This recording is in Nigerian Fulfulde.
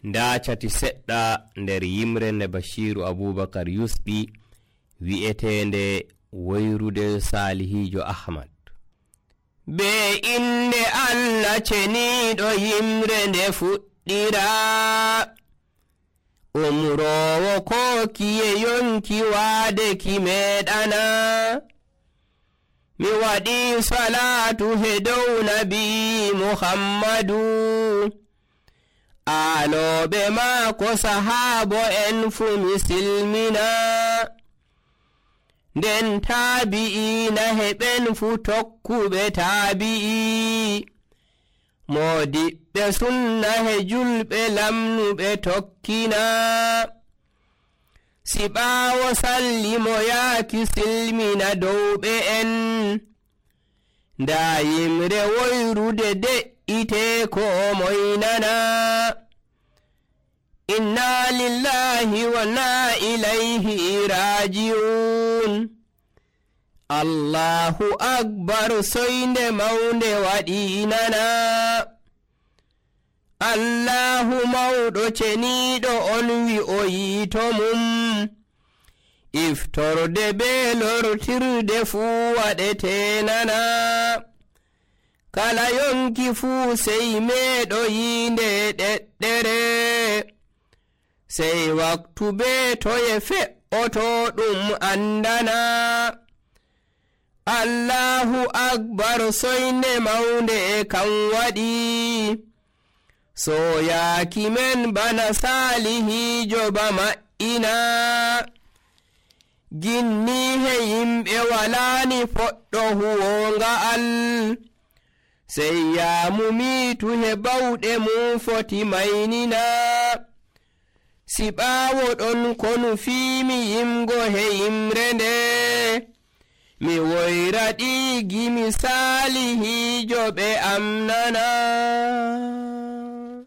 nda cati seɗɗa nder yimre nde Bashiru Abubakar yusɓi wi'etende woyrude Salihijo Ahmad. Be inde Allah ceniɗo yimre nde fuɗɗira, umrowo kokiye yonki waadeki meɗana. Mi waɗi salatu he dow nabi Muhammadu, aloɓe maako sahaabo en fu mi silmina. Nden taabi'ina heɓen fu tokkuɓe taabi'i, modiɓɓe sunna he julɓe lamnuɓe tokkina. Siɓaawo sallimo yaaki silmina dowɓe en, nda yimre woyrude de'ite ko moynana. Inna lillahi wa inna ilayhi raji'un. Allahu akbar soynde mawnde waɗinana. Allahu mawɗo ceniɗo on wi'oyi to mum, iftorde be lortirde fuu waɗetenana. Kala yonki fuu sey meeɗo yinde ɗeɗɗere, sey waktu be toye fe'oto ɗum andana. Allahu akbar soynde mawnde kan waɗi, soyaaki men bana Salihijo ba ma'ina. Ginni he yimɓe walaani poɗɗo huwonga'al, sey yamumitu he bawɗe mum foti maynina. Siɓaawo ɗon konu fiimi yimgo he yimre nde, mi woyra ɗi gimi Salihijo ɓe amnana.